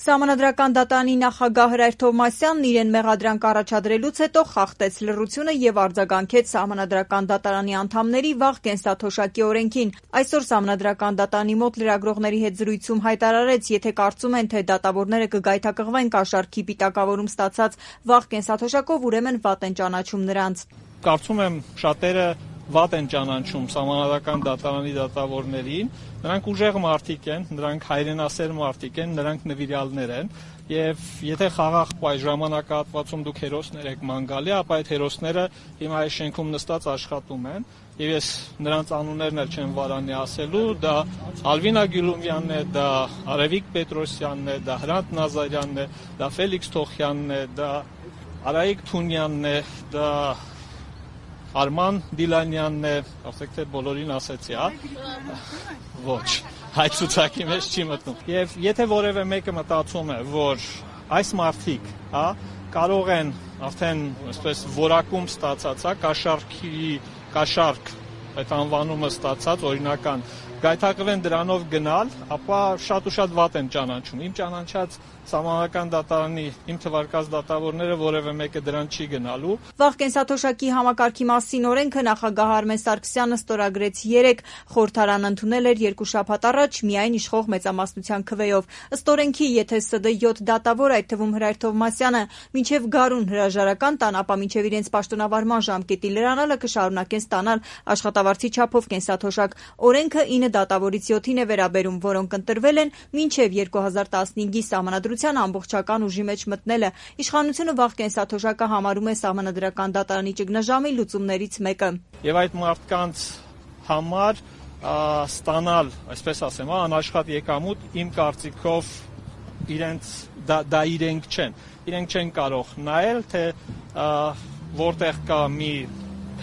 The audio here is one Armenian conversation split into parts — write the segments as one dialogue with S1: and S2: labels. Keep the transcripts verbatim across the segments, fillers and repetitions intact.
S1: Սահմանադրական դատարանի նախագահ Հրայր Թովմասյանն իրեն մեղադրանք առաջադրելուց հետո խախտեց լռությունը եւ արձագանքեց Սահմանադրական դատարանի անդամների վաղ կենսաթոշակի օրենքին։ Այսօր Սահմանադրական դատարանի մոտ լրագրողների հետ զրույցում հայտարարեց, եթե կարծում են, թե դատավորները կգայթակղվեն կաշառքի պիտակավորում ստացած վաղ կենսաթոշակով, ուրեմն վատ են ճանաչում նրանց։
S2: Կարծում եմ շատերը վատ են ճանաչում Սահմանադրական դատարանի դատավորներին, նրանք ուժեղ մարդիկ են, նրանք հայրենասեր մարդիկ են, նրանք նվիրյալներ են, եւ եթե խաղաղ այս ժամանակահատվածում դուք հերոսներ եք ման գալի, ապա այդ հերոսները հիմա այս շենքում նստած աշխատում են, եւ ես նրանց անուններն էլ չեմ վարանի ասելու, դա Ալվինա Գյուլումյանն է, դա Արևիկ Պետրոսյանն է, դա Հրանտ Նազարյանն է, դա Ֆելիքս Թոխյանն է, դա Արայիկ Թունյանն է, դա Արման Դիլանյանն է, ասեք թե բոլորին ասեցի, հա։ Ոչ, այդ ցուցակի մեջ չի մտնում։ Եվ եթե որևէ մեկը մտածում է, որ այս մարդիկ, հա, կարող են արդեն, այսպես, որակում ստացած, հա, կաշառքի, կաշառք, այդ անվանումը ստացած օրինական, գայթակղվեն դրանով գնալ, ապա շատ ու շատ վատ են ճանաչում։ Իմ ճանաչած Սահմանադրական դատարանի իմ թվարկած դատավորները որևէ մեկը դրան չի գնալու։
S1: Վաղ կենսաթոշակի համակարգի մասին օրենքը նախագահ Արմեն Սարգսյանը ստորագրեց երեկ, խորհրդարանը ընդունել էր երկու շաբաթ առաջ միայն իշխող մեծամասնության քվեով։ Ըստ օրենքի, եթե ՍԴ յոթ դատավոր, այդ թվում Հրայր Թովմասյանը, մինչև գարուն հրաժարական տան, ապա մինչև իրենց պաշտոնավարման ժամկետի լրանալը կշարունակեն ստանալ աշխատավարձի չափով կենսաթոշակ։ Օրենքը ինը դատավորից յոթին է վերաբերում, որոնք ընտրվել են մինչև երկու հազար տասնհինգի Սահմանադրության ամբողջական ուժի մեջ մտնելը։ Իշխանությունը վաղ կենսաթոշակը համարում է Սահմանադրական դատարանի ճգնաժամի լուծումներից մեկը։
S2: Եվ այդ մարդկանց համար ստանալ, այսպես ասեմ, անաշխատ եկամուտ, իմ կարծիքով իրենց դա, դա իրենք չեն։ Իրենք չեն կարող նայել, թե որտեղ կա մի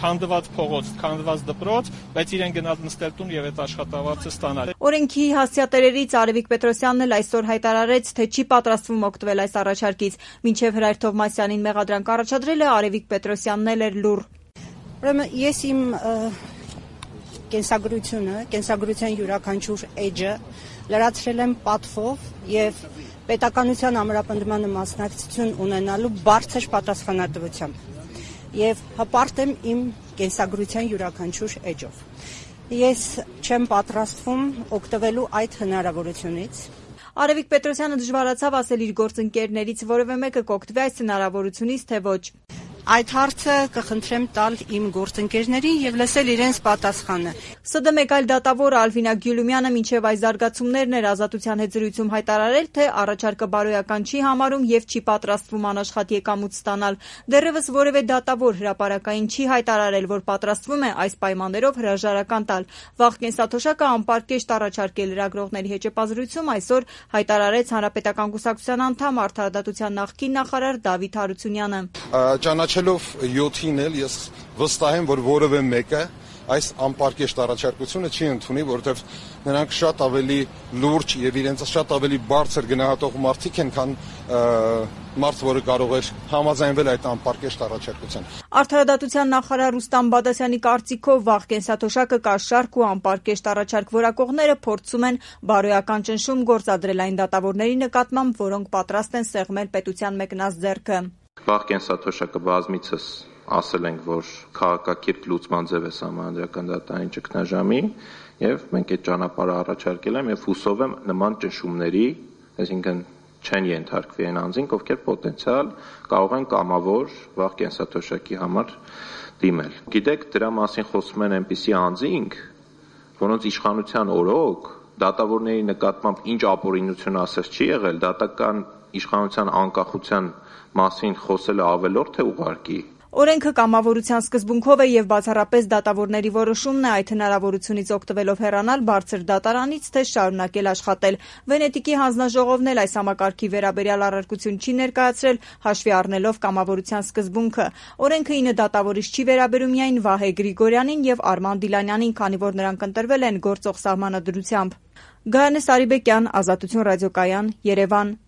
S2: քանդված փողոց, քանդված դպրոց, բայց իրեն գնալ նստել տուն եւ այդ աշխատավարձը ստանալ։
S1: Օրենքի հասցեատերերից Արևիկ Պետրոսյանն էլ այսօր հայտարարեց, թե չի պատրաստվում օգտվել այս առաջարկից։ Մինչև Հրայր Թովմասյանին մեղադրանք առաջադրելը Արևիկ Պետրոսյանն էլ էր լուռ։
S3: Ուրեմն ես իմ կենսագրությունը, կենսագրության յուրաքանչյուր էջը լրացրել եմ պատվով եւ պետականության ամրապնդմանը մասնակցություն ունենալու բարձր պատասխանատվությամբ։ Եվ հպարտ եմ իմ կենսագրության յուրաքանչյուր էջով։ Ես չեմ պատրաստվում օգտվելու այդ հնարավորությունից։
S1: Արևիկ Պետրոսյանը դժվարացավ ասել իր գործընկերներից որևէ մեկը կօգտվի այս հնարավորությունից, թե ոչ։
S3: Այդ հարցը կխնդրեմ տալ իմ գործընկերներին եւ լսել իրենց պատասխանը։
S1: ՍԴ մեկ այլ դատավոր Ալվինա Գյուլումյանը մինչև այս զարգացումներն էր ազատության հետ զրույցում հայտարարել, թե առաջարկը բարոյական չի համարում եւ չի պատրաստվում անաշխատ եկամուտ ստանալ։ Դեռևս որևէ դատավոր հրապարակային չի հայտարարել, որ պատրաստվում է այս պայմաններով հրաժարական տալ։ Վաղ կենսաթոշակը անպարկեշտ առաջարկել լրագրողների հեճեպազրույցում այսօր հայտարարեց Հանրապետական կուսակցության անդամ Արդարադատության նախկին նախարար Դավիթ Հարությունյանը։
S4: Ճանաչելով յոթին էլ ես վստահ եմ, որ որևէ մեկը այս անպարկեշտ առաջարկությունը չի ընդունի, որովհետև նրանք շատ ավելի լուրջ եւ իրենց շատ ավելի բարձր գնահատող մարդիկ են, քան մարդ, որը կարող էր համաձայնվել այդ անպարկեշտ առաջարկության։
S1: Արդարադատության նախարար Ռուստամ Բադասյանի կարծիքով վաղ կենսաթոշակը կաշառք ու անպարկեշտ առաջարկ որակողները փորձում են բարոյական ճնշում գործադրել այն դատավորների նկատմամբ, որոնք պատրաստ են սեղմել պետության մեկնած ձեռքը։
S5: Վաղ կենսաթոշակը բազմիցս ասել ենք, որ քաղաքակիրթ լուծման ձև է Սահմանադրական դատարանի ճգնաժամի եւ մենք այդ ճանապարհը առաջարկել եմ եւ հուսով եմ նման ճնշումների, այսինքն չեն ենթարկվի այն անձինք, ովքեր պոտենցիալ կարող են կամավոր վաղ կենսաթոշակի համար դիմել։ Գիտեք, դրա մասին խոսում են այնպիսի անձինք, որոնց իշխանության օրոք դատավորների նկատմամբ ինչ ապօրինություն ասես չի եղել, դատական իշխանության անկախության մասին խոսելը ավելորդ է ուղարկի։
S1: Օրենքը կամավորության սկզբունքով է եւ բացառապես դատավորների որոշումն է այդ հնարավորությունից օգտվելով հեռանալ բարձր դատարանից, թե շարունակել աշխատել։ Վենետիկի հանձնաժողովն էլ այս համակարգի վերաբերյալ առարկություն չի ներկայացրել, հաշվի առնելով կամավորության սկզբունքը։ Օրենքը ինը դատավորից չի վերաբերում միայն Վահե Գրիգորյանին եւ Արման Դիլանյանին, քանի որ նրանք ընտրվել են գործող սահմանադրությամբ։ Գայանե Սարիբեկյան, Ազատություն ռադիոկայան, Երևան։